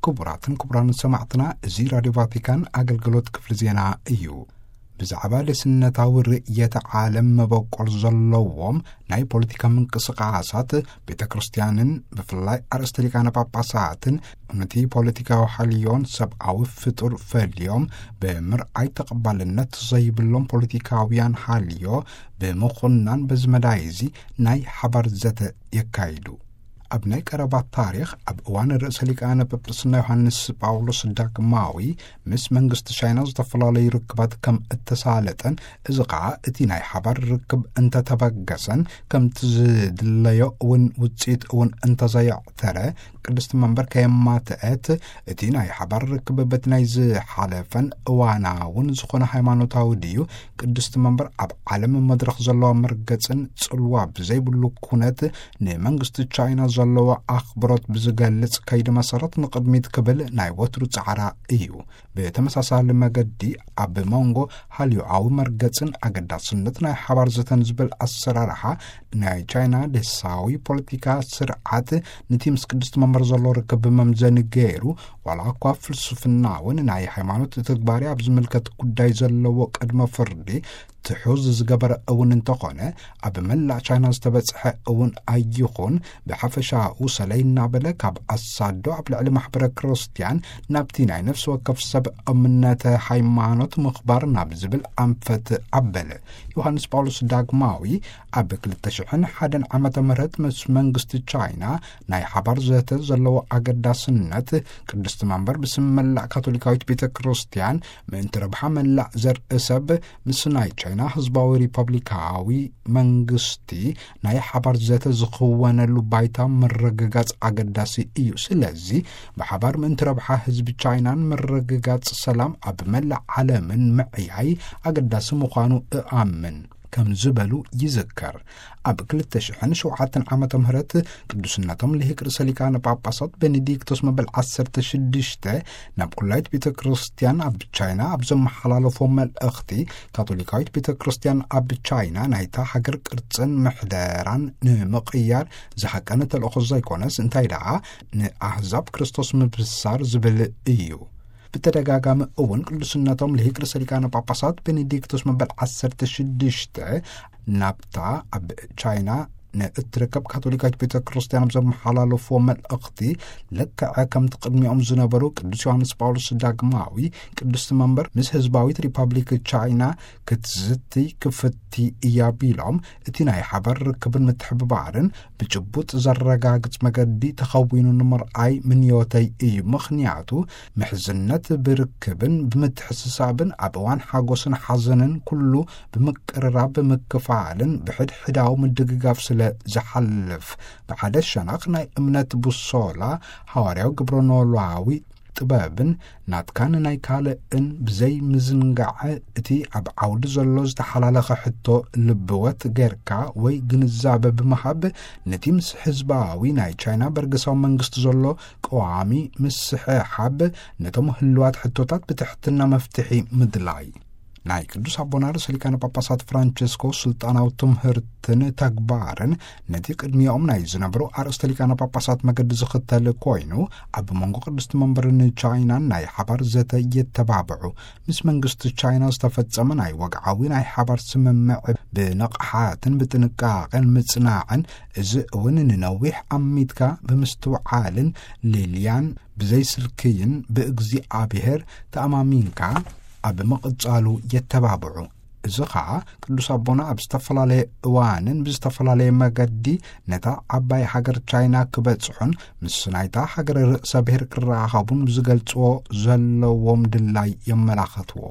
ክቡራትን ክቡራን ሰማዕትና፣ እዚ ራድዮ ቫቲካን ኣገልግሎት ክፍሊ ዜና እዩ። ብዛዕባ ልስነታዊ ርእየተ ዓለም መበቆል ዘለዎም ናይ ፖለቲካ ምንቅስቃሳት ቤተ ክርስቲያንን ብፍላይ ኣርእስተ ሊቃነ ጳጳሳትን ነቲ ፖለቲካዊ ሓልዮን ሰብኣዊ ፍጡር ፈልዮም ብምርኣይ ተቐባልነት ዘይብሎም ፖለቲካውያን ሓልዮ ብምኹናን በዚ መዳይ እዚ ናይ ሓባር ዘተ የካይዱ። ኣብ ናይ ቀረባ ታሪኽ ኣብ እዋን ርእሰ ሊቃነ ጳጳስና ዮሃንስ ጳውሎስ ዳግማዊ ምስ መንግስቲ ቻይና ዝተፈላለዩ ርክባት ከም እተሳለጠን፣ እዚ ኸዓ እቲ ናይ ሓባር ርክብ እንተተበገሰን ከምቲ ዝድለዮ እውን ውፅኢት እውን እንተዘየዕተረ ቅድስቲ መንበር ከየማትአት እቲ ናይ ሓባር ርክብ በቲ ናይ ዝሓለፈን እዋናውን ዝኾነ ሃይማኖታዊ ድዩ ቅድስቲ መንበር ኣብ ዓለም መድረኽ ዘለዋ መርገጽን ጽልዋ ብዘይብሉ ኩነት ንመንግስቲ ቻይና ዘለዎ ኣኽብሮት ብዝገልጽ ከይዲ መሰረት ንቕድሚት ክብል ናይ ወትሩ ጻዕራ እዩ። ብተመሳሳሊ መገዲ ኣብ መንጎ ሃልዮኣዊ መርገጽን ኣገዳስነት ናይ ሓባር ዘተን ዝብል ኣሰራርሓ ናይ ቻይና ደሳዊ ፖለቲካ ስርዓት ነቲ ምስ ቅድስቲ መንበር ዘሎ ርክብ መምዘኒ ገይሩ፣ ዋላ እኳ ፍልስፍና እውን ናይ ሃይማኖት ተግባሪ ኣብ ዝምልከት ጉዳይ ዘለዎ ቅድመ ፍርዲ ትሑዝ ዝገበረ እውን እንተኾነ፣ ኣብ መላእ ቻይና ዝተበጽሐ እውን ኣይኹን፣ ብሓፈሻኡ ሰለይ እናበለ ካብ ኣሳዶ ኣብ ልዕሊ ማሕበረ ክርስቲያን ናብቲ ናይ ነፍሲ ወከፍ ሰብ እምነተ ሃይማኖት ምኽባር ናብ ዝብል ኣንፈት ኣበለ። ዮሃንስ ጳውሎስ ዳግማዊ ኣብ ክልተ ሽሕን ሓደን ዓመተ ምህረት ምስ መንግስቲ ቻይና ናይ ሓባር ዘተ ዘለዎ ኣገዳስነት፣ ቅድስቲ መንበር ብስም መላእ ካቶሊካዊት ቤተ ክርስቲያን ምእንቲ ረብሓ መላእ ዘርኢ ሰብ ምስ ናይ ቻይና ህዝባዊ ሪፐብሊካዊ መንግስቲ ናይ ሓባር ዘተ ዝኽወነሉ ባይታ ምርግጋጽ ኣገዳሲ እዩ። ስለዚ ብሓባር ምእንቲ ረብሓ ህዝቢ ቻይናን ምርግጋጽ ሰላም ኣብ መላእ ዓለምን ምዕያይ ኣገዳሲ ምዃኑ እኣምን ከም ዝበሉ ይዝከር። ኣብ ክልተ ሽሕን ሸውዓተን ዓመተ ምህረት ቅዱስነቶም ልሂቅ ርእሰ ሊቃነ ጳጳሳት ቤኔዲክቶስ መበል ዓሰርተ ሽዱሽተ ናብ ኩላይት ቤተ ክርስቲያን ኣብ ቻይና ኣብ ዘመሓላለፎ መልእኽቲ፣ ካቶሊካዊት ቤተ ክርስቲያን ኣብ ቻይና ናይታ ሃገር ቅርጽን ምሕደራን ንምቕያር ዝሃቀነ ተልእኾ ዘይኮነስ፣ እንታይ ደኣ ንኣህዛብ ክርስቶስ ምብሳር ዝብል እዩ። ብተደጋጋሚ እውን ቅዱስነቶም ልሂቅ ርእሰ ሊቃነ ጳጳሳት ቤኔዲክቶስ መበል ዓሰርተ ሽዱሽተ ናብታ ኣብ ቻይና ንእትርከብ ካቶሊካዊት ቤተ ክርስቲያን ኣብ ዘመሓላለፍዎ መልእኽቲ፣ ልክዕ ከምቲ ቅድሚኦም ዝነበሩ ቅዱስ ዮሃንስ ጳውሎስ ዳግማዊ ቅድስቲ መንበር ምስ ህዝባዊት ሪፐብሊክ ቻይና ክትዝቲ ክፍቲ እያ ቢሎም፣ እቲ ናይ ሓባር ርክብን ምትሕብባርን ብጭቡጥ ዘረጋግጽ መገዲ ተኸዊኑ ንምርኣይ ምንዮተይ እዩ። ምኽንያቱ ምሕዝነት ብርክብን ብምትሕስሳብን ኣብ እዋን ሓጎስን ሓዘንን ኩሉ ብምቅርራብ ብምክፋልን ብሕድሕዳዊ ምድግጋፍ ስለ ዝሓልፍ፣ ብሓደ ሸነኽ ናይ እምነት ቡሶላ ሃዋርያዊ ግብረ ኖላዊ ጥበብን ናትካን ናይ ካልእን ብዘይ ምዝንጋዕ፣ እቲ ኣብ ዓውዲ ዘሎ ዝተሓላለኸ ሕቶ ልብወት ጌርካ ወይ ግንዛበ ብምሃብ፣ ነቲ ምስ ህዝባዊ ናይ ቻይና በርገሳዊ መንግስቲ ዘሎ ቀዋሚ ምስሕሓብ፣ ነቶም ህልዋት ሕቶታት ብትሕትና መፍትሒ ምድላይ። ናይ ቅዱስ ኣቦና ርእሰ ሊቃነ ጳጳሳት ፍራንቸስኮ ስልጣናዊ ትምህርትን ተግባርን ነቲ ቅድሚኦም ናይ ዝነበሩ ኣርእስተ ሊቃነ ጳጳሳት መገዲ ዝኽተል ኮይኑ፣ ኣብ መንጎ ቅድስቲ መንበርን ቻይናን ናይ ሓባር ዘተ የተባብዑ። ምስ መንግስቲ ቻይና ዝተፈጸመ ናይ ወግዓዊ ናይ ሓባር ስምምዕ ብንቕሓትን ብጥንቃቐን ምጽናዕን፣ እዚ እውን ንነዊሕ ኣሚትካ ብምስትውዓልን ሌልያን ብዘይስልክይን ብእግዚኣብሔር ተኣማሚንካ ኣብ ምቕጻሉ የተባብዑ። እዚ ኸኣ ቅዱስ ኣቦና ኣብ ዝተፈላለየ እዋንን ብዝተፈላለየ መገዲ ነታ ዓባይ ሃገር ቻይና ክበጽሑን ምስ ናይታ ሃገር ርእሰ ብሔር ክረኻኸቡን ብዝገልጽዎ ዘለዎም ድላይ የመላኸትዎ።